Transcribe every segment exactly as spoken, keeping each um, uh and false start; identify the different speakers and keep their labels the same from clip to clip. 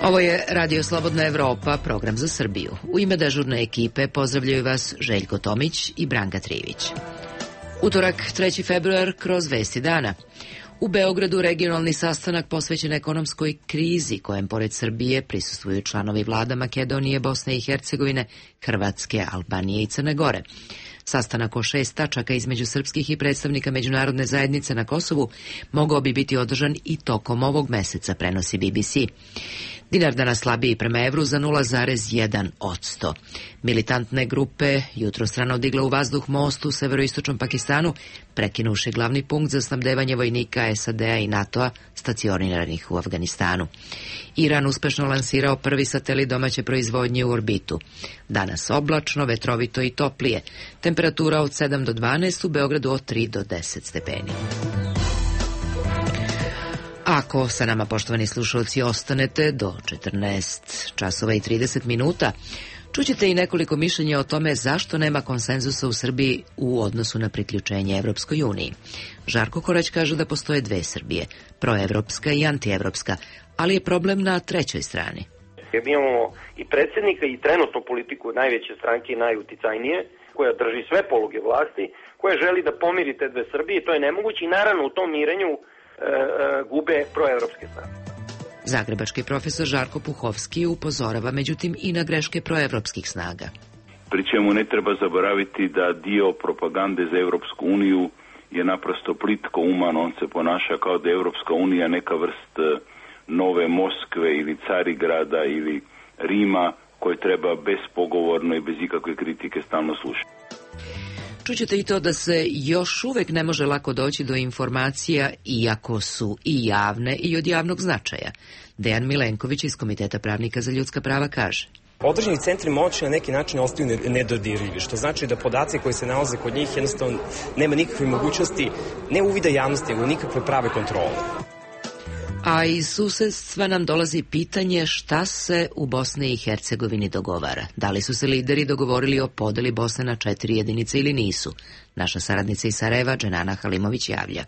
Speaker 1: Ovo je Radio Slobodna Evropa, program za Srbiju. U ime dežurne ekipe pozdravljaju vas Željko Tomić i Branka Trivić. Utorak, treći februar, kroz vesti dana. U Beogradu regionalni sastanak posvećen ekonomskoj krizi, kojem pored Srbije prisustvuju članovi vlada Makedonije, Bosne i Hercegovine, Hrvatske, Albanije i Crne Gore. Sastanak o šest tačaka između srpskih i predstavnika međunarodne zajednice na Kosovu mogao bi biti održan i tokom ovog meseca, prenosi B B C. Dinar danas slabiji prema evru za nula zarez jedan posto. Militantne grupe jutrostrano digle u vazduh most u severoistočnom Pakistanu, prekinuši glavni punkt za snabdevanje vojnika S A D-a i NATO-a stacioniranih u Afganistanu. Iran uspešno lansirao prvi satelit domaće proizvodnje u orbitu. Danas oblačno, vetrovito i toplije. Temperatura od sedam do dvanaest, u Beogradu od tri do deset stepeni. Ako sa nama, poštovani slušalci, ostanete do četrnaest časova i trideset minuta, čućete i nekoliko mišljenja o tome zašto nema konsenzusa u Srbiji u odnosu na priključenje Evropskoj uniji. Žarko Korać kaže da postoje dve Srbije, proevropska i antievropska, ali je problem na trećoj strani.
Speaker 2: Mi imamo i predsjednika i trenutnu politiku najveće stranke i najuticajnije, koja drži sve poluge vlasti, koja želi da pomiri te dve Srbije, to je nemoguće i naravno u tom mirenju gube proevropske strane.
Speaker 1: Zagrebački profesor Žarko Puhovski upozorava međutim i na greške proevropskih snaga.
Speaker 3: Pri čemu ne treba zaboraviti da dio propagande za Evropsku uniju je naprosto plitko uman, on se ponaša kao da je Evropska unija neka vrst nove Moskve ili Carigrada ili Rima koje treba bespogovorno i bez ikakve kritike stalno slušati.
Speaker 1: Čućete i to da se još uvek ne može lako doći do informacija, iako su i javne i od javnog značaja. Dejan Milenković iz Komiteta pravnika za ljudska prava kaže:
Speaker 4: Određeni centri moći na neki način ostaju nedodirljivi, što znači da podaci koji se nalaze kod njih jednostavno nema nikakve mogućnosti, ne uvida javnosti, nego nikakve prave kontrole.
Speaker 1: A iz susedstva nam dolazi pitanje šta se u Bosni i Hercegovini dogovara. Da li su se lideri dogovorili o podeli Bosne na četiri jedinice ili nisu? Naša saradnica iz Sarajeva, Dženana Halimović, javlja.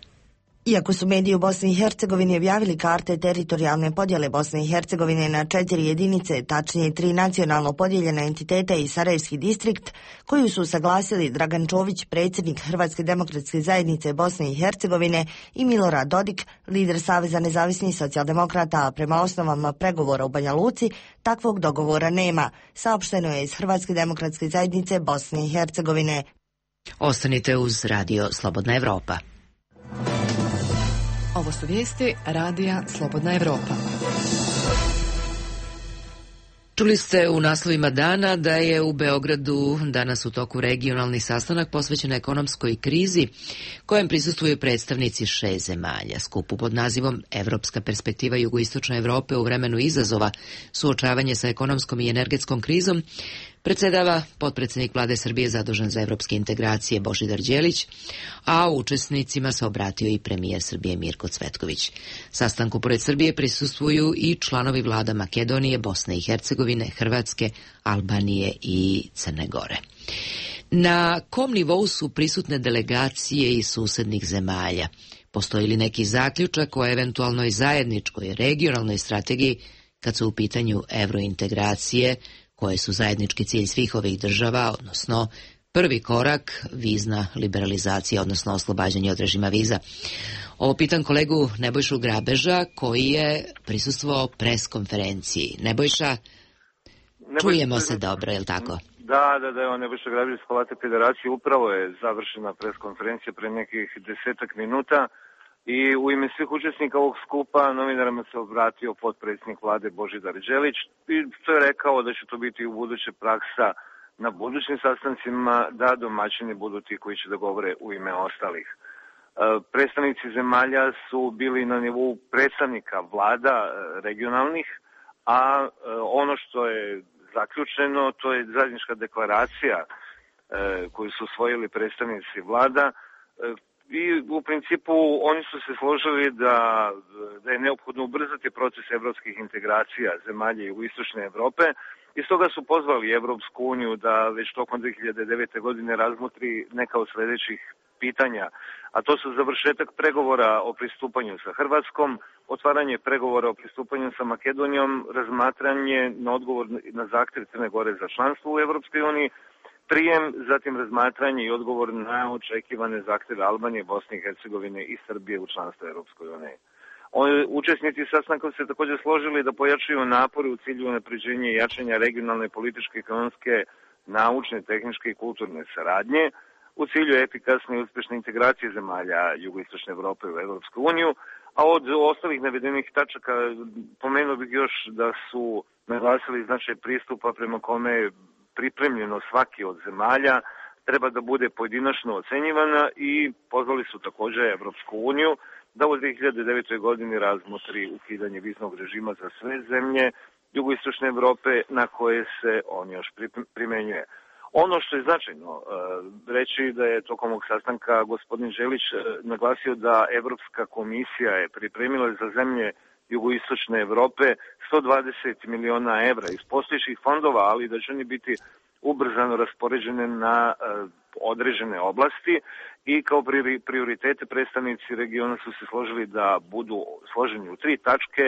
Speaker 5: Iako su mediji u Bosni i Hercegovini objavili karte teritorijalne podjele Bosne i Hercegovine na četiri jedinice, tačnije tri nacionalno podijeljene entitete i Sarajevski distrikt, koju su saglasili Dragan Čović, predsjednik Hrvatske demokratske zajednice Bosne i Hercegovine, i Milorad Dodik, lider Saveza nezavisnih socijaldemokrata, prema osnovama pregovora u Banja Luci, takvog dogovora nema, saopšteno je iz Hrvatske demokratske zajednice Bosne i Hercegovine.
Speaker 1: Ostanite uz Radio Slobodna Evropa.
Speaker 6: Ovo su vijesti Radija Slobodna Evropa.
Speaker 1: Čuli ste u naslovima dana da je u Beogradu danas u toku regionalni sastanak posvećen ekonomskoj krizi, kojem prisustvuju predstavnici šest zemalja. Skupu pod nazivom Evropska perspektiva jugoistočne Evrope u vremenu izazova, suočavanje sa ekonomskom i energetskom krizom, predsedava potpredsjednik vlade Srbije zadužen za evropske integracije Božidar Đelić, a učesnicima se obratio i premijer Srbije Mirko Cvetković. Sastanku pored Srbije prisustvuju i članovi vlada Makedonije, Bosne i Hercegovine, Hrvatske, Albanije i Crne Gore. Na kom nivou su prisutne delegacije iz susednih zemalja? Postoji li neki zaključak o eventualnoj zajedničkoj regionalnoj strategiji kad su u pitanju evrointegracije, koje su zajednički cilj svih ovih država, odnosno prvi korak vizna liberalizacija, odnosno oslobađanje od režima viza? Ovo pitan kolegu Nebojšu Grabeža, koji je prisustvovao pres konferenciji. Nebojša, čujemo se dobro, je li tako?
Speaker 7: Da, da, da, evo Nebojša Grabež iz Hrvatske federacije, upravo je završena pres konferencija pre nekih desetak minuta. I u ime svih učesnika ovog skupa novinarima se obratio potpredsjednik vlade Božidar Đelić i to je rekao da će to biti u buduće praksa na budućim sastancima, da domaćini budu ti koji će da govore u ime ostalih. E, predstavnici zemalja su bili na nivou predstavnika vlada regionalnih, a e, ono što je zaključeno, to je zajednička deklaracija e, koju su usvojili predstavnici vlada. E, I u principu oni su se složili da, da je neophodno ubrzati proces evropskih integracija zemalja jugoistočne Evrope i stoga su pozvali Evropsku uniju da već tokom dve hiljade devete. godine razmotri neka od sljedećih pitanja, a to su završetak pregovora o pristupanju sa Hrvatskom, otvaranje pregovora o pristupanju sa Makedonijom, razmatranje na odgovor na zahtev Crne Gore za članstvo u Evropskoj uniji, prijem, zatim razmatranje i odgovor na očekivane zahteve Albanije, Bosne i Hercegovine i Srbije u članstvo Evropskoj uniji. Učesnici sastanka se također složili da pojačaju napore u cilju unapređenja i jačanja regionalne, političke, ekonomske, naučne, tehničke i kulturne saradnje u cilju efikasne i uspešne integracije zemalja jugoistočne Evrope u Evropsku uniju, a od ostalih navedenih tačaka pomenuo bih još da su naglasili značaj pristupa prema kome je pripremljeno svaki od zemalja treba da bude pojedinačno ocenjivana i pozvali su također Evropsku uniju da u dve hiljade devetoj. godini razmotri ukidanje viznog režima za sve zemlje jugoistočne Evrope na koje se on još primenjuje. Ono što je značajno e, reći da je tokom ovog sastanka gospodin Želić e, naglasio da Evropska komisija je pripremila za zemlje jugoistočne Evrope sto dvadeset miliona evra iz postojećih fondova, ali da će oni biti ubrzano raspoređene na e, određene oblasti i kao prioritete predstavnici regiona su se složili da budu složeni u tri tačke.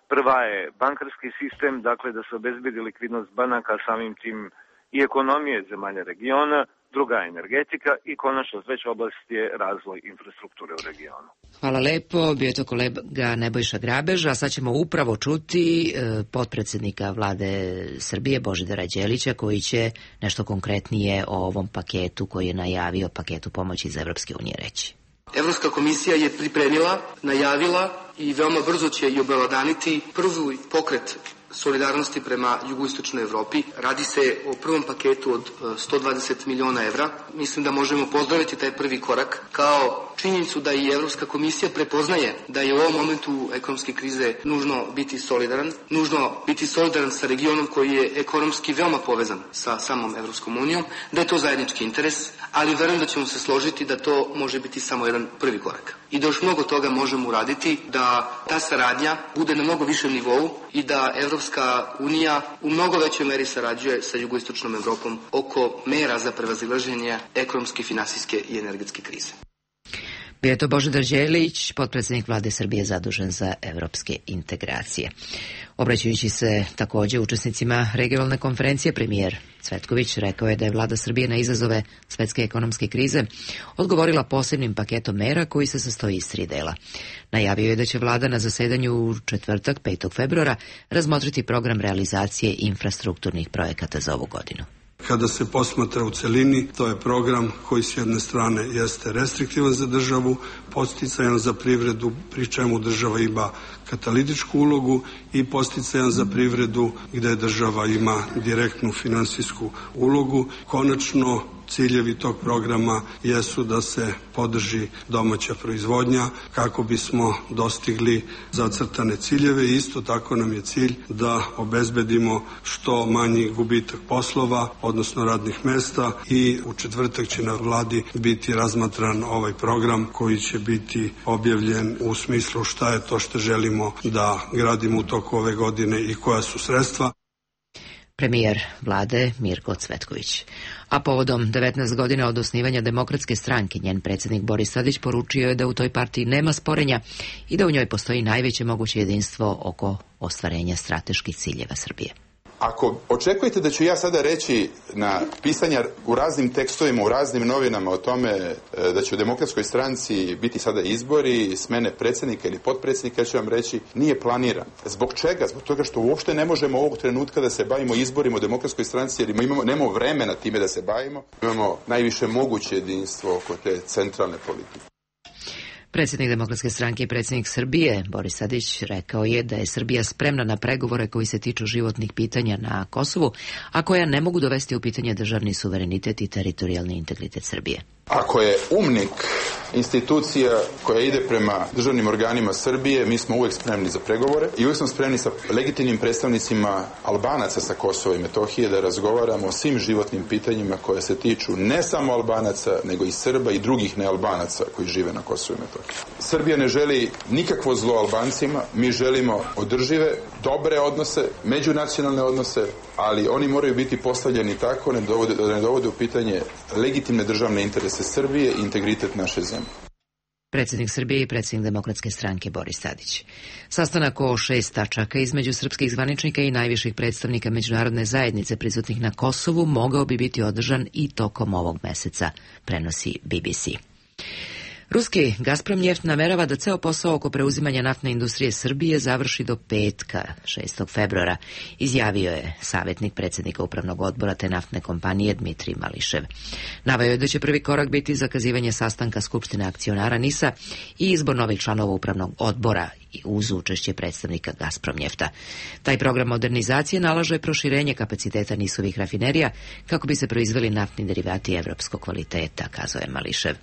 Speaker 7: Prva je bankarski sistem, dakle da se obezbedi likvidnost banaka, samim tim i ekonomije zemalja regiona, druga je energetika i konačno treća oblast je razvoj infrastrukture u regionu.
Speaker 1: Hvala lepo, bio je to kolega Nebojša Grabež, a sad ćemo upravo čuti e, potpredsjednika vlade Srbije Božidara Đelića koji će nešto konkretnije o ovom paketu koji je najavio, paketu pomoći iz Evropske unije reći.
Speaker 8: Evropska komisija je pripremila, najavila i veoma brzo će i obelodaniti prvi pokret solidarnosti prema jugoistočnoj Evropi. Radi se o prvom paketu od sto dvadeset miliona evra. Mislim da možemo pozdraviti taj prvi korak kao činjenicu da i Evropska komisija prepoznaje da je u ovom momentu ekonomske krize nužno biti solidaran, nužno biti solidaran sa regionom koji je ekonomski veoma povezan sa samom Evropskom unijom, da je to zajednički interes, ali verujem da ćemo se složiti da to može biti samo jedan prvi korak. I da još mnogo toga možemo uraditi, da ta saradnja bude na mnogo višem nivou i da Evropska unija u mnogo većoj meri sarađuje sa jugoistočnom Evropom oko mera za prevazilaženje ekonomske, finansijske i energetske krize.
Speaker 1: Bio je to Božidar Đelić, potpredsjednik vlade Srbije zadužen za evropske integracije. Obraćajući se također učesnicima regionalne konferencije, premijer Cvetković rekao je da je vlada Srbije na izazove svetske ekonomske krize odgovorila posebnim paketom mera koji se sastoji iz tri dela. Najavio je da će vlada na zasedanju u četvrtak, petog februara, razmotriti program realizacije infrastrukturnih projekata za ovu godinu.
Speaker 9: Kada se posmatra u celini, to je program koji s jedne strane jeste restriktivan za državu, podsticajan za privredu, pri čemu država ima katalitičku ulogu, i podsticajan za privredu gdje država ima direktnu finansijsku ulogu. Konačno, ciljevi tog programa jesu da se podrži domaća proizvodnja kako bismo dostigli zacrtane ciljeve. Isto tako nam je cilj da obezbedimo što manji gubitak poslova, odnosno radnih mesta, i u četvrtak će na vladi biti razmatran ovaj program koji će biti objavljen u smislu šta je to što želimo da gradimo u toku ove godine i koja su sredstva.
Speaker 1: Premijer vlade Mirko Cvetković. A povodom devetnaest godina od osnivanja Demokratske stranke, njen predsjednik Boris Tadić poručio je da u toj partiji nema sporenja i da u njoj postoji najveće moguće jedinstvo oko ostvarenja strateških ciljeva Srbije.
Speaker 10: Ako očekujete da ću ja sada reći na pisanja u raznim tekstovima, u raznim novinama o tome da će u Demokratskoj stranci biti sada izbori, smene predsjednika ili potpredsjednika, ja ću vam reći, nije planiran. Zbog čega? Zbog toga što uopšte ne možemo ovog trenutka da se bavimo izborima u Demokratskoj stranci, jer imamo, nemamo vremena time da se bavimo. Imamo najviše moguće jedinstvo oko te centralne politike.
Speaker 1: Predsjednik Demokratske stranke i predsjednik Srbije, Boris Tadić, rekao je da je Srbija spremna na pregovore koji se tiču životnih pitanja na Kosovu, a koja ne mogu dovesti u pitanje državni suverenitet i teritorijalni integritet Srbije.
Speaker 10: Ako je UMNIK institucija koja ide prema državnim organima Srbije, mi smo uvijek spremni za pregovore i uvijek smo spremni sa legitimnim predstavnicima Albanaca sa Kosova i Metohije da razgovaramo o svim životnim pitanjima koje se tiču ne samo Albanaca, nego i Srba i drugih nealbanaca koji žive na Kosovu i Metohiji. Srbija ne želi nikakvo zlo Albancima, mi želimo održive, dobre odnose, međunacionalne odnose, ali oni moraju biti postavljeni tako da ne dovode, da ne dovode u pitanje legitimne državne interese Srbije i integritet naše zemlje.
Speaker 1: Predsjednik Srbije i predsjednik Demokratske stranke Boris Tadić. Sastanak o šest tačaka između srpskih zvaničnika i najviših predstavnika međunarodne zajednice prisutnih na Kosovu mogao bi biti održan i tokom ovog meseca, prenosi B B C. Ruski Gazpromneft namerava da ceo posao oko preuzimanja naftne industrije Srbije završi do petka, šestog februara, izjavio je savjetnik predsjednika upravnog odbora te naftne kompanije Dmitrij Mališev. Naveo je da će prvi korak biti zakazivanje sastanka Skupštine akcionara NIS-a i izbor novih članova upravnog odbora uz učešće predstavnika Gazpromnjefta. Taj program modernizacije nalaže proširenje kapaciteta NIS-ovih rafinerija kako bi se proizveli naftni derivati evropskog kvaliteta, kazao je Mališev.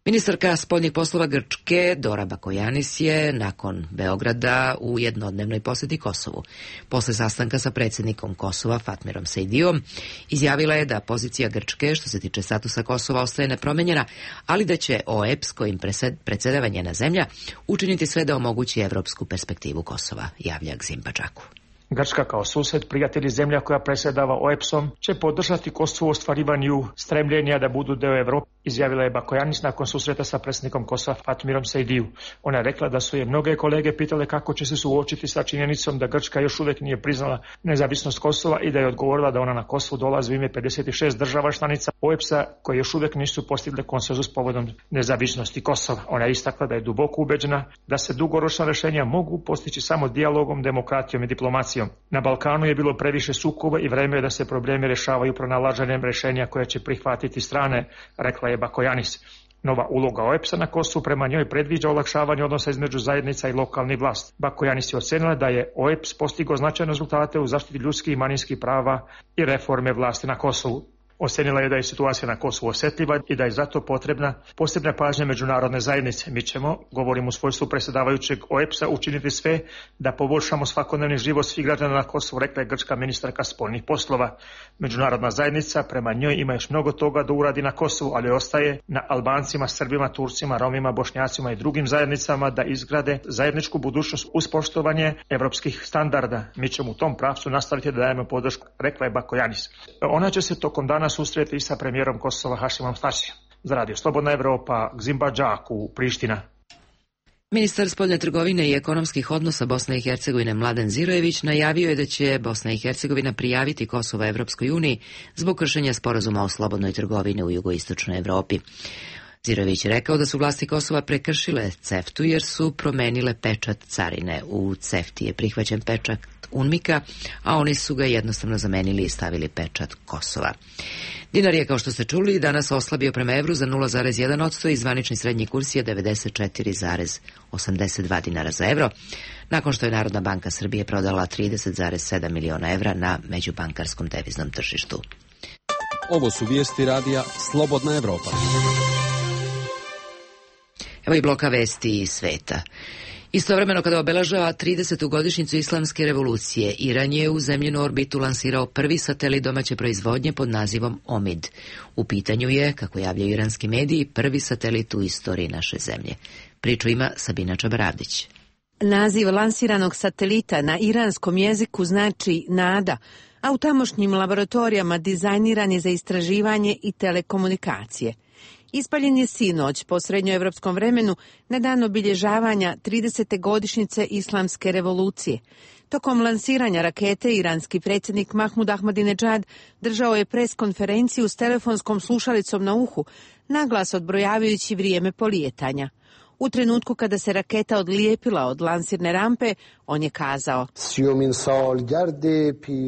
Speaker 1: Ministarka spoljnih poslova Grčke Dora Bakojanis je nakon Beograda u jednodnevnoj posjeti Kosovu. Posle sastanka sa predsjednikom Kosova Fatmirom Sejdiom izjavila je da pozicija Grčke što se tiče statusa Kosova ostaje nepromenjena, ali da će O E P S kojim predsjedava njena zemlja učiniti sve da omogući evropsku perspektivu Kosova, javlja Gzim Badžaku.
Speaker 11: Grčka kao sused, prijatelj i zemlja koja predsjedava O E P S-om će podržati Kosovo u ostvarivanju stremljenja da budu deo Evrope, izjavila je Bakojanis nakon susreta sa predsjednikom Kosova Fatmirom Sejdiju. Ona je rekla da su je mnoge kolege pitale kako će se suočiti sa činjenicom da Grčka još uvijek nije priznala nezavisnost Kosova i da je odgovorila da ona na Kosovu dolazi u ime pedeset šest država članica O E P S-a koje još uvijek nisu postigle konsenzus povodom nezavisnosti Kosova. Ona je istakla da je duboko ubeđena da se dugoročna rješenja mogu postići samo dijalogom, demokratijom i diplomacijom. Na Balkanu je bilo previše sukoba i vreme je da se problemi rješavaju pronalaženjem rješenja koje će prihvatiti strane, rekla je Bakojanis. Nova uloga O E P S-a na Kosovu prema njoj predviđa olakšavanje odnosa između zajednica i lokalnih vlast. Bakojanis je ocenila da je O E P S postigao značajne rezultate u zaštiti ljudskih i manjinskih prava i reforme vlasti na Kosovu. Ocenila je da je situacija na Kosovu osjetljiva i da je zato potrebna posebna pažnja međunarodne zajednice. Mi ćemo, govorim u svojstvu predsjedavajućeg O E P S-a, učiniti sve da poboljšamo svakodnevni život svih građana na Kosovu, rekla je grčka ministarka spoljnih poslova. Međunarodna zajednica prema njoj ima još mnogo toga da uradi na Kosovu, ali ostaje na Albancima, Srbima, Turcima, Romima, Bošnjacima i drugim zajednicama da izgrade zajedničku budućnost uz poštovanje evropskih standarda. Mi ćemo u tom pravcu nastaviti da dajemo podršku, rekla je Bakojanis. Ona će se tokom dana susreti sa premijerom Kosova Hašimom Tačijem. Za radio Slobodna Evropa, Gzim Badžaku, Priština.
Speaker 1: Ministar spoljne trgovine i ekonomskih odnosa Bosne i Hercegovine Mladen Zirojević najavio je da će Bosna i Hercegovina prijaviti Kosovo Evropskoj uniji zbog kršenja sporazuma o slobodnoj trgovini u jugoistočnoj Evropi. Zirojević je rekao da su vlasti Kosova prekršile CEFTU jer su promenile pečat carine. U CEFTI je prihvaćen pečat UNMIK-a, a oni su ga jednostavno zamenili i stavili pečat Kosova. Dinar je, kao što ste čuli, danas oslabio prema evru za nula zarez jedan posto i zvanični srednji kurs je devedeset četiri zarez osamdeset dva dinara za evro, nakon što je Narodna banka Srbije prodala trideset zarez sedam miliona evra na međubankarskom deviznom tržištu.
Speaker 12: Ovo su vijesti radija Slobodna Evropa.
Speaker 1: Evo i bloka vesti iz sveta. Istovremeno kada obeležava tridesetu godišnjicu islamske revolucije, Iran je u zemljinu orbitu lansirao prvi satelit domaće proizvodnje pod nazivom Omid. U pitanju je, kako javljaju iranski mediji, prvi satelit u istoriji naše zemlje. Priču ima Sabina Čabaravdić.
Speaker 13: Naziv lansiranog satelita na iranskom jeziku znači nada, a u tamošnjim laboratorijama dizajniran je za istraživanje i telekomunikacije. Ispaljen je sinoć po srednjoevropskom vremenu na dan obilježavanja tridesete godišnjice islamske revolucije. Tokom lansiranja rakete iranski predsjednik Mahmud Ahmadinejad držao je pres konferenciju s telefonskom slušalicom na uhu, naglas odbrojavajući vrijeme polijetanja. U trenutku kada se raketa odlijepila od lansirne rampe, on je kazao: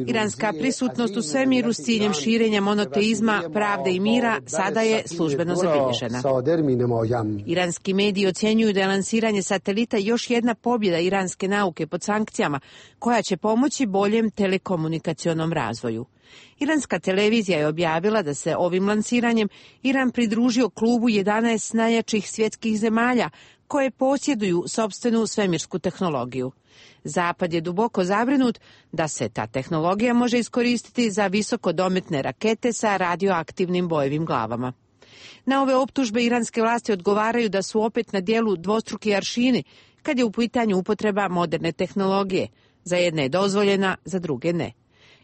Speaker 13: Iranska prisutnost u svemiru s ciljem širenja monoteizma, pravde i mira sada je službeno zabilježena. Iranski mediji ocjenjuju da je lansiranje satelita još jedna pobjeda iranske nauke pod sankcijama, koja će pomoći boljem telekomunikacionom razvoju. Iranska televizija je objavila da se ovim lansiranjem Iran pridružio klubu jedanaest najjačih svjetskih zemalja koje posjeduju sopstvenu svemirsku tehnologiju. Zapad je duboko zabrinut da se ta tehnologija može iskoristiti za visokodometne rakete sa radioaktivnim bojevim glavama. Na ove optužbe iranske vlasti odgovaraju da su opet na dijelu dvostruki aršini kad je u pitanju upotreba moderne tehnologije. Za jedne je dozvoljena, za druge ne.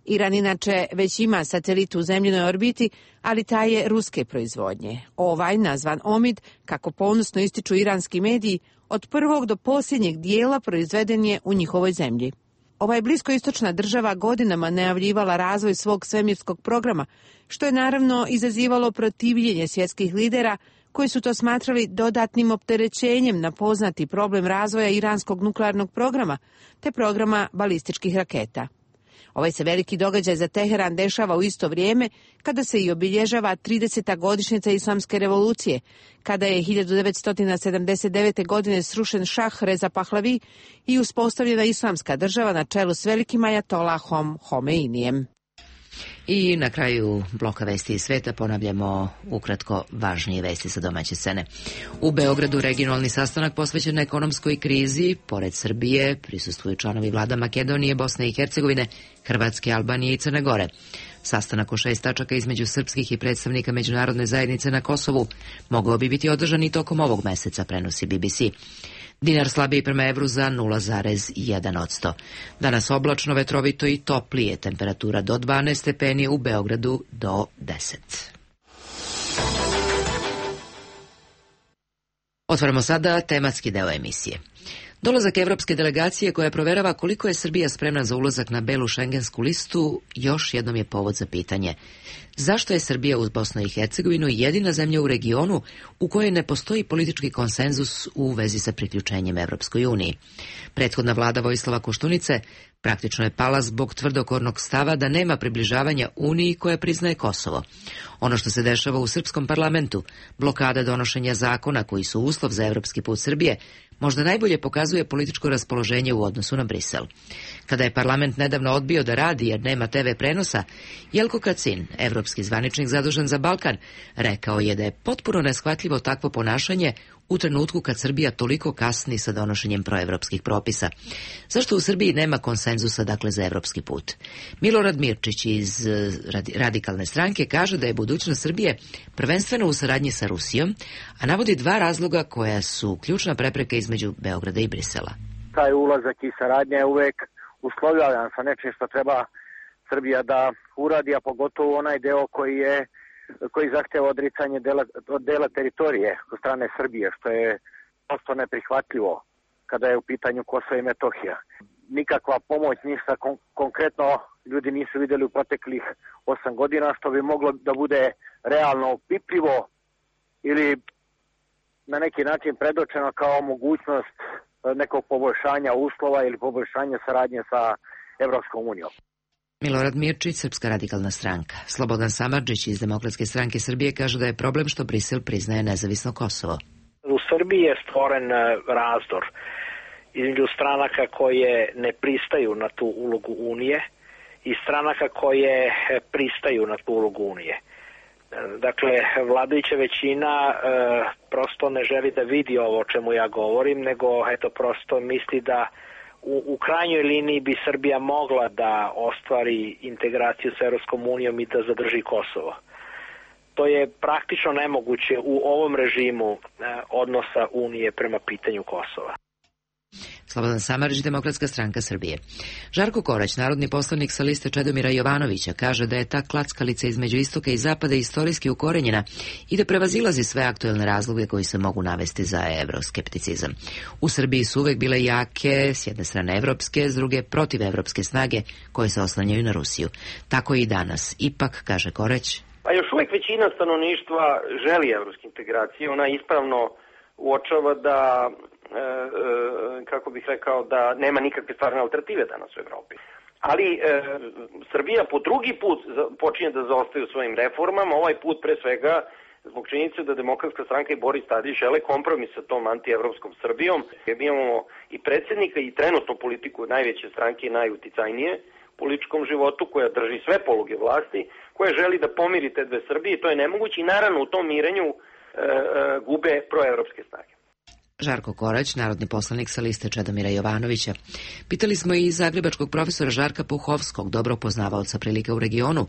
Speaker 13: Iran inače već ima satelit u zemljinoj orbiti, ali taj je ruske proizvodnje. Ovaj, nazvan Omid, kako ponosno ističu iranski mediji, od prvog do posljednjeg dijela proizveden je u njihovoj zemlji. Ova je bliskoistočna država godinama najavljivala razvoj svog svemirskog programa, što je naravno izazivalo protivljenje svjetskih lidera koji su to smatrali dodatnim opterećenjem na poznati problem razvoja iranskog nuklearnog programa te programa balističkih raketa. Ovaj se veliki događaj za Teheran dešava u isto vrijeme kada se i obilježava trideseta godišnjica Islamske revolucije, kada je hiljadu devetsto sedamdeset devete. godine srušen šah Reza Pahlavi i uspostavljena islamska država na čelu s velikim ajatolahom Homeinijem.
Speaker 1: I na kraju bloka vesti iz sveta ponavljamo ukratko važnije vesti sa domaće scene. U Beogradu regionalni sastanak posvećen ekonomskoj krizi. Pored Srbije prisustvuju članovi vlada Makedonije, Bosne i Hercegovine, Hrvatske, Albanije i Crne Gore. Sastanak o šest tačaka između srpskih i predstavnika međunarodne zajednice na Kosovu mogao bi biti održan i tokom ovog meseca, prenosi B B C. Dinar slabiji prema evru za nula zarez jedan posto. Danas oblačno, vetrovito i toplije, temperatura do dvanaest stepeni, u Beogradu do deset. Otvaramo sada tematski deo emisije. Dolazak evropske delegacije koja proverava koliko je Srbija spremna za ulazak na belu šengensku listu još jednom je povod za pitanje. Zašto je Srbija uz Bosnu i Hercegovinu jedina zemlja u regionu u kojoj ne postoji politički konsenzus u vezi sa priključenjem Evropskoj uniji? Prethodna vlada Vojislava Koštunice praktično je pala zbog tvrdokornog stava da nema približavanja Uniji koja priznaje Kosovo. Ono što se dešava u srpskom parlamentu, blokada donošenja zakona koji su uslov za evropski put Srbije, možda najbolje pokazuje političko raspoloženje u odnosu na Brisel. Kada je parlament nedavno odbio da radi jer nema te ve prenosa, Jelko Kacin, evropski zvaničnik zadužen za Balkan, rekao je da je potpuno neshvatljivo takvo ponašanje u trenutku kad Srbija toliko kasni sa donošenjem proevropskih propisa. Zašto u Srbiji nema konsenzusa, dakle, za evropski put? Milorad Mirčić iz Radikalne stranke kaže da je budućnost Srbije prvenstveno u saradnji sa Rusijom, a navodi dva razloga koja su ključna prepreka između Beograda i Brisela.
Speaker 14: Taj ulazak i saradnja je uvek uslovljavan sa nečim što treba Srbija da uradi, a pogotovo onaj deo koji je koji zahteva odricanje dela, od dela teritorije od strane Srbije, što je prosto neprihvatljivo kada je u pitanju Kosovo i Metohija. Nikakva pomoć, ništa kon- konkretno ljudi nisu vidjeli u proteklih osam godina, što bi moglo da bude realno opipljivo ili na neki način predočeno kao mogućnost nekog poboljšanja uslova ili poboljšanja saradnje sa Evropskom unijom.
Speaker 1: Milorad Mirčić, Srpska radikalna stranka. Slobodan Samardžić iz Demokratske stranke Srbije kaže da je problem što Brisel priznaje nezavisno Kosovo.
Speaker 15: U Srbiji je stvoren razdor između stranaka koje ne pristaju na tu ulogu Unije i stranaka koje pristaju na tu ulogu Unije. Dakle, vladajuća većina e, prosto ne želi da vidi ovo o čemu ja govorim, nego eto prosto misli da U, u krajnjoj liniji bi Srbija mogla da ostvari integraciju sa Evropskom unijom i da zadrži Kosovo. To je praktično nemoguće u ovom režimu eh, odnosa Unije prema pitanju Kosova.
Speaker 1: Slobodan Samardžić, Demokratska stranka Srbije. Žarko Korać, narodni poslanik sa liste Čedomira Jovanovića, kaže da je ta klackalica između istoka i zapada istorijski ukorenjena i da prevazilazi sve aktuelne razloge koji se mogu navesti za evroskepticizam. U Srbiji su uvek bile jake, s jedne strane evropske, s druge protivevropske snage koje se oslanjaju na Rusiju. Tako i danas. Ipak, kaže Korać,
Speaker 2: a još uvek većina stanovništva želi evropske integracije. Ona ispravno uočava da E, e, kako bih rekao, da nema nikakve stvarne alternative danas u Evropi. Ali e, Srbija po drugi put počinje da zaostaje u svojim reformama, ovaj put pre svega zbog činjenice da Demokratska stranka i Boris Tadić žele kompromis sa tom antievropskom Srbijom. Mi imamo i predsjednika i trenutnu politiku najveće stranke i najuticajnije u političkom životu, koja drži sve poluge vlasti, koja želi da pomiri te dve Srbije. To je nemoguće i naravno u tom mirenju e, e, gube proevropske snage.
Speaker 1: Žarko Korać, narodni poslanik sa liste Čedomira Jovanovića. Pitali smo i zagrebačkog profesora Žarka Puhovskog, dobro poznavaoca prilika u regionu.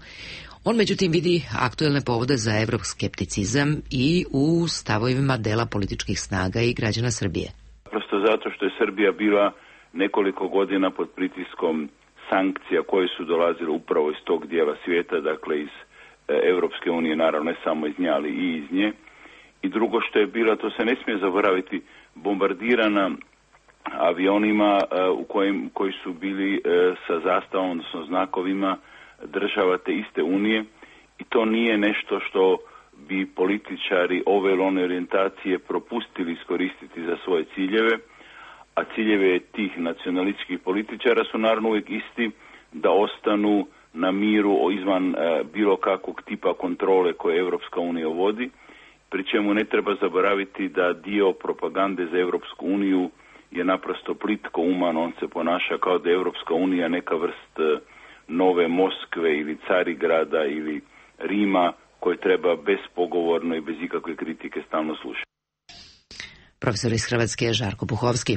Speaker 1: On međutim vidi aktuelne povode za evroskepticizam i u stavovima dela političkih snaga i građana Srbije.
Speaker 3: Prosto zato što je Srbija bila nekoliko godina pod pritiskom sankcija koje su dolazile upravo iz tog dijela svijeta, dakle iz Europske unije, naravno ne samo iz nje, ali i iz nje. I drugo što je bilo, to se ne smije zaboraviti, bombardirana avionima u kojim, koji su bili sa zastavom, odnosno znakovima država te iste unije, i to nije nešto što bi političari ove ili one orijentacije propustili iskoristiti za svoje ciljeve, a ciljeve tih nacionalističkih političara su naravno uvijek isti, da ostanu na miru izvan e, bilo kakvog tipa kontrole koje Europska unija vodi, pri čemu ne treba zaboraviti da dio propagande za Europsku uniju je naprosto plitko uman, on se ponaša kao da je Europska unija neka vrst e, nove Moskve ili Carigrada ili Rima koje treba bespogovorno i bez ikakve kritike stalno slušati.
Speaker 1: Profesor iz Hrvatske Žarko Puhovski.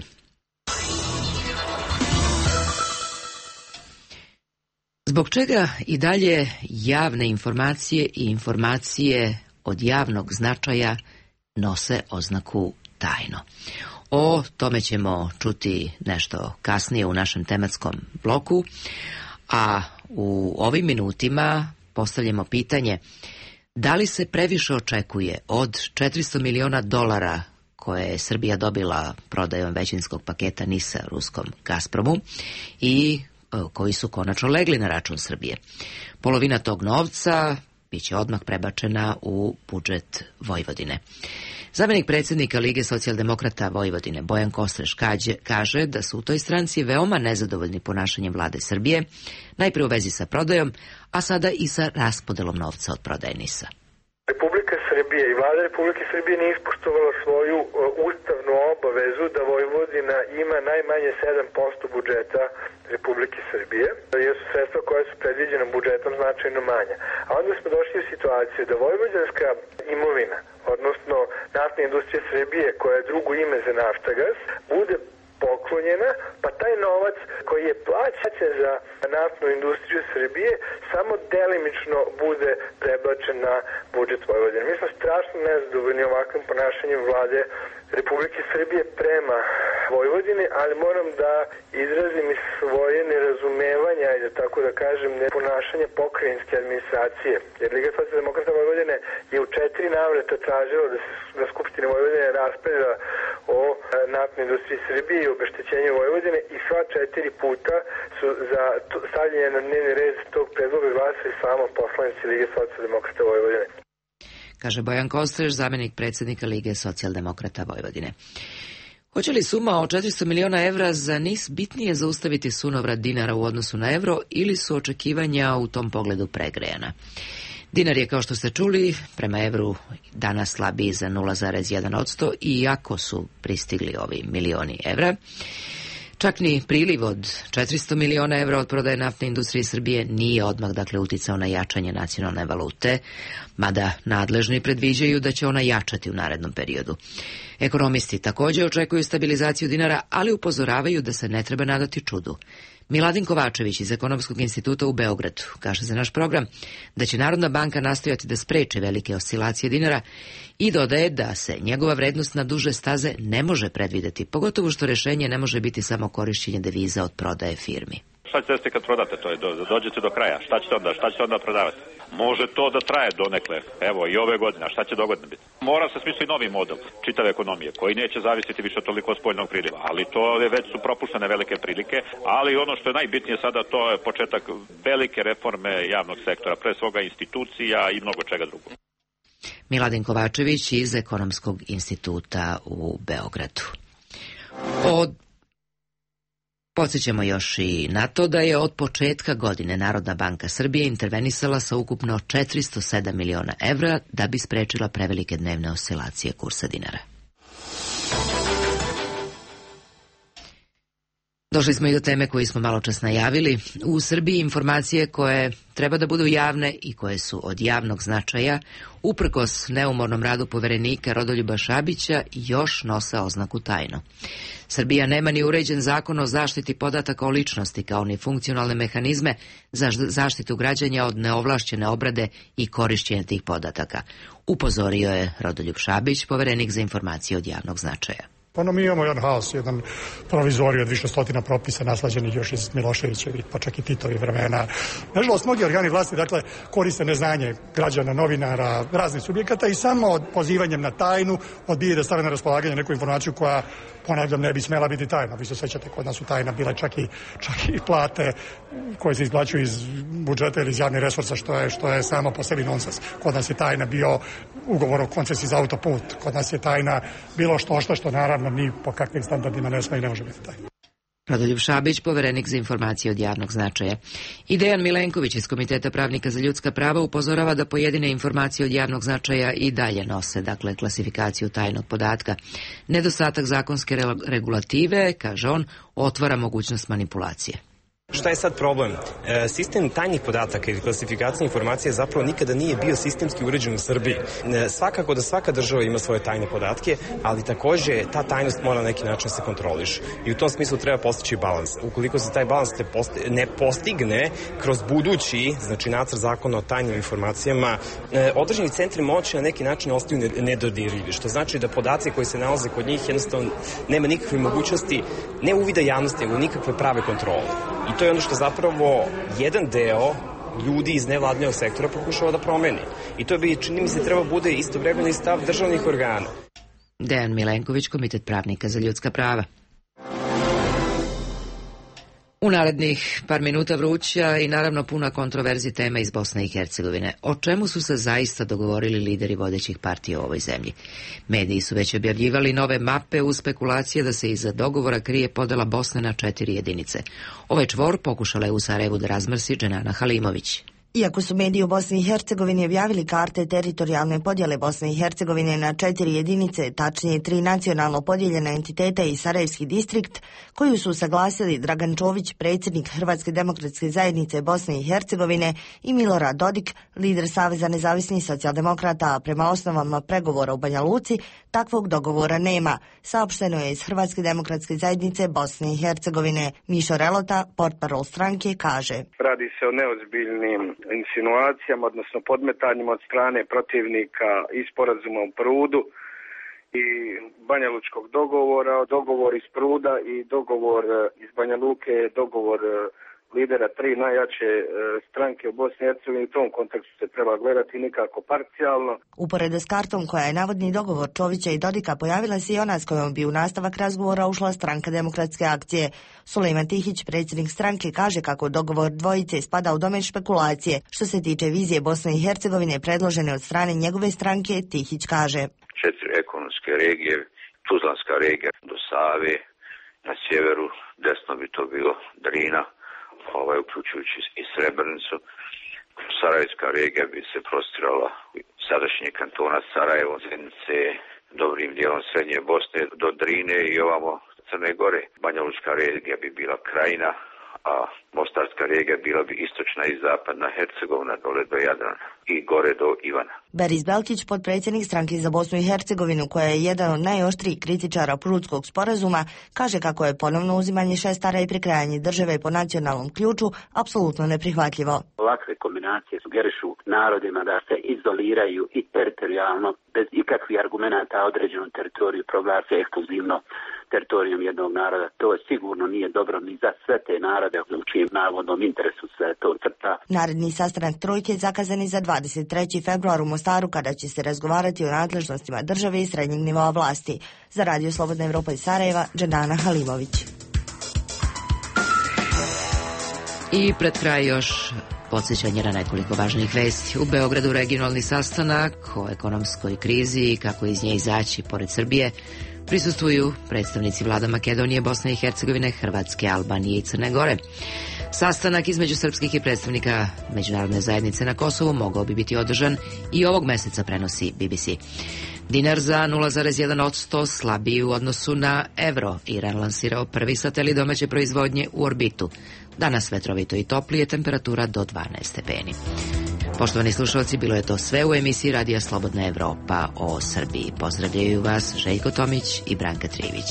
Speaker 1: Zbog čega i dalje javne informacije i informacije od javnog značaja nose oznaku tajno? O tome ćemo čuti nešto kasnije u našem tematskom bloku, a u ovim minutima postavljamo pitanje da li se previše očekuje od četiristo miliona dolara koje je Srbija dobila prodajom većinskog paketa NIS-a ruskom Gazpromu i koji su konačno legli na račun Srbije. Polovina tog novca biće odmah prebačena u budžet Vojvodine. Zamenik predsjednika Lige socijaldemokrata Vojvodine Bojan Kostreš kaže da su u toj stranci veoma nezadovoljni ponašanjem vlade Srbije, najprije u vezi sa prodajom, a sada i sa raspodelom novca od prodaje NIS-a.
Speaker 16: Republika Srbije i vlada Republike Srbije nije ispoštovala svoju uh, ustavnu obavezu da Vojvodina ima najmanje sedam posto budžeta Republike Srbije, jer su sredstva koja su predviđena budžetom značajno manja. A onda smo došli u situaciju da vojvođanska imovina, odnosno naftna industrija Srbije, koja je drugo ime za Naftagas, bude poklonjena, pa taj novac koji je plaćen za naftnu industriju Srbije samo delimično bude prebačen na budžet Vojvodine. Mi smo strašno nezadovoljni ovakvim ponašanjem vlade Republike Srbije prema Vojvodini, ali moram da izrazim i svoje nerazumevanja i da tako da kažem ne ponašanje pokrajinske administracije. Jer Liga socijaldemokrata Vojvodine je u četiri navrata tražila da se na Skupštini Vojvodine raspravlja o naftnoj industriji Srbije i obeštećenju Vojvodine i sva četiri puta su za stavljanje na dnevni red tog predloga glasali samo poslanici Lige socijaldemokrata Vojvodine.
Speaker 1: Kaže Bojan Kostreš, zamenik predsjednika Lige socijaldemokrata Vojvodine. Hoće li suma od četiristo miliona evra za NIS bitnije zaustaviti sunovrat dinara u odnosu na evro ili su očekivanja u tom pogledu pregrejana? Dinar je, kao što ste čuli, prema evru danas slabiji za nula zarez jedan posto, iako su pristigli ovi milioni evra. Čak ni priliv od četiristo miliona evra od prodaje naftne industrije Srbije nije odmah dakle uticao na jačanje nacionalne valute, mada nadležni predviđaju da će ona jačati u narednom periodu. Ekonomisti također očekuju stabilizaciju dinara, ali upozoravaju da se ne treba nadati čudu. Miladin Kovačević iz Ekonomskog instituta u Beogradu kaže za naš program da će Narodna banka nastojati da spreče velike oscilacije dinara i dodaje da se njegova vrednost na duže staze ne može predvideti, pogotovo što rješenje ne može biti samo korišćenje deviza od prodaje firmi.
Speaker 17: Šta ćete desiti kad prodate to? Dođete do kraja. Šta ćete onda? Šta ćete onda prodavati? Može to da traje donekle. Evo i ove godine. Šta će dogodine biti? Mora se smisliti novi model čitave ekonomije koji neće zavisiti više toliko od spoljnog priliva. Ali to je već su propuštene velike prilike. Ali ono što je najbitnije sada to je početak velike reforme javnog sektora. Pre svoga institucija i mnogo čega drugog.
Speaker 1: Miladin Kovačević iz Ekonomskog instituta u Beogradu. Od Podsjećamo još i na to da je od početka godine Narodna banka Srbije intervenisala sa ukupno četiristo sedam miliona evra da bi sprečila prevelike dnevne oscilacije kursa dinara. Došli smo i do teme koju smo malo čas najavili. U Srbiji informacije koje treba da budu javne i koje su od javnog značaja, uprkos neumornom radu poverenika Rodoljuba Šabića, još nose oznaku tajno. Srbija nema ni uređen zakon o zaštiti podataka o ličnosti, kao ni funkcionalne mehanizme za zaštitu građana od neovlašćene obrade i korišćenja tih podataka, upozorio je Rodoljub Šabić, poverenik za informacije od javnog značaja.
Speaker 18: Ono, mi imamo jedan haos, jedan provizorij od više stotina propisa naslađenih još iz Miloševićevih, pa čak i Titovih vremena. Nažalost, mnogi organi vlasti, dakle, koriste neznanje građana, novinara, raznih subjekata i samo pozivanjem na tajnu odbije da stave na raspolaganje neku informaciju koja, ponavljam, ne bi smela biti tajna. Vi se sećate, kod nas su tajna bile čak i, čak i plate koje se izplaćuju iz budžeta ili iz javnih resursa, što je, što je samo po sebi nonsens. Kod nas je tajna bio ugovor o koncesiji za autoput, kod nas je tajna bilo što što, što naravno ni po kakvim standardima ne sme i ne može biti tajna.
Speaker 1: Rodoljub Šabić, poverenik za informacije od javnog značaja. I Dejan Milenković iz Komiteta pravnika za ljudska prava upozorava da pojedine informacije od javnog značaja i dalje nose, dakle, klasifikaciju tajnog podatka. Nedostatak zakonske regulative, kaže on, otvara mogućnost manipulacije.
Speaker 4: Šta je sad problem? E, sistem tajnih podataka ili klasifikacija informacija zapravo nikada nije bio sistemski uređen u Srbiji. E, svakako da svaka država ima svoje tajne podatke, ali takođe ta tajnost mora na neki način se kontroliš. I u tom smislu treba postići balans. Ukoliko se taj balans ne postigne kroz budući, znači nacrt zakona o tajnim informacijama, e, određeni centri moći na neki način ostaju nedodirljivi, što znači da podaci koji se nalaze kod njih jednostavno nema nikakve mogućnosti, ne uvida javnosti, nego nikakve prave kontrole. I to je ono što zapravo jedan deo ljudi iz nevladnog sektora pokušava da promeni. I to bi, čini mi se, treba bude istovremeni stav državnih organa.
Speaker 1: Dejan Milenković, Komitet pravnika za ljudska prava. U narednih par minuta vruća i naravno puna kontroverzi tema iz Bosne i Hercegovine. O čemu su se zaista dogovorili lideri vodećih partija u ovoj zemlji? Mediji su već objavljivali nove mape uz spekulacije da se iza dogovora krije podela Bosne na četiri jedinice. Ovaj čvor pokušala je u Sarajevu da razmrsi Dženana Halimović.
Speaker 5: Iako su mediji u Bosni i Hercegovini objavili karte teritorijalne podjele Bosne i Hercegovine na četiri jedinice, tačnije tri nacionalno podijeljena entiteta i Sarajevski distrikt, koju su usaglasili Dragan Čović, predsjednik Hrvatske demokratske zajednice Bosne i Hercegovine, i Milorad Dodik, lider Saveza nezavisnih socijaldemokrata, prema osnovama pregovora u Banja Luci, takvog dogovora nema, saopšteno je iz Hrvatske demokratske zajednice Bosne i Hercegovine. Mišo Relota, portparol stranke, kaže:
Speaker 19: Radi se o neozbiljnim insinuacijama, odnosno podmetanjima od strane protivnika i sporazuma u Prudu i Banja Lučkog dogovora, dogovor iz Pruda i dogovor iz Banja Luke, dogovor lidera tri najjače stranke u Bosni i Hercegovini. U tom kontekstu se treba gledati nikako parcijalno.
Speaker 5: Uporedo s kartom koja je navodni dogovor Čovića i Dodika, pojavila se i ona s kojom bi u nastavak razgovora ušla Stranka demokratske akcije. Sulejman Tihić, predsjednik stranke, kaže kako dogovor dvojice spada u domen špekulacije. Što se tiče vizije Bosne i Hercegovine predložene od strane njegove stranke, Tihić kaže:
Speaker 20: Četiri ekonomske regije, Tuzlanska regija do Save, na sjeveru desno bi to bilo Drina, ovaj, uključujući i Srebrenicu. Sarajevska regija bi se prostirala sadašnje kantona Sarajevo, Zenice, dobrim dijelom srednje Bosne do Drine i ovamo Crne Gore. Banja Lučka regija bi bila Krajina, a Mostarska regija bila bi istočna i zapadna Hercegovina dole do Jadrana i gore do Ivana.
Speaker 5: Beris Belkić, potpredsjednik stranke za Bosnu i Hercegovinu, koja je jedan od najoštrijih kritičara Prudskog sporazuma, kaže kako je ponovno uzimanje šestara i prekrajanje države po nacionalnom ključu apsolutno neprihvatljivo.
Speaker 21: Ovakve kombinacije sugerišu narodima da se izoliraju i teritorijalno, bez ikakvih argumenata određenu teritoriju proglase ekskluzivno teritorijom jednog naroda. To je sigurno nije dobro ni za sve te narode u čijem navodnom interesu se to crta.
Speaker 5: Naredni sastanak trojke zakazan je za dvadeset treći februar u Mostaru, kada će se razgovarati o nadležnostima države i srednjeg nivoa vlasti. Za Radio Slobodna Evropa iz Sarajeva, Dženana Halimović.
Speaker 1: I pred kraj još podsjećanje na nekoliko važnih vesti. U Beogradu regionalni sastanak o ekonomskoj krizi i kako iz nje izaći pored Srbije prisustvuju predstavnici vlada Makedonije, Bosne i Hercegovine, Hrvatske, Albanije i Crne Gore. Sastanak između srpskih i predstavnika međunarodne zajednice na Kosovu mogao bi biti održan i ovog meseca, prenosi B B C. Dinar za nula zarez jedan posto slabiji u odnosu na evro. Iran lansirao prvi satelit domaće proizvodnje u orbitu. Danas vetrovito i toplije, temperatura do dvanaest stepeni. Poštovani slušalci, bilo je to sve u emisiji Radija Slobodna Evropa o Srbiji. Pozdravljaju vas Željko Tomić i Branka Trivić.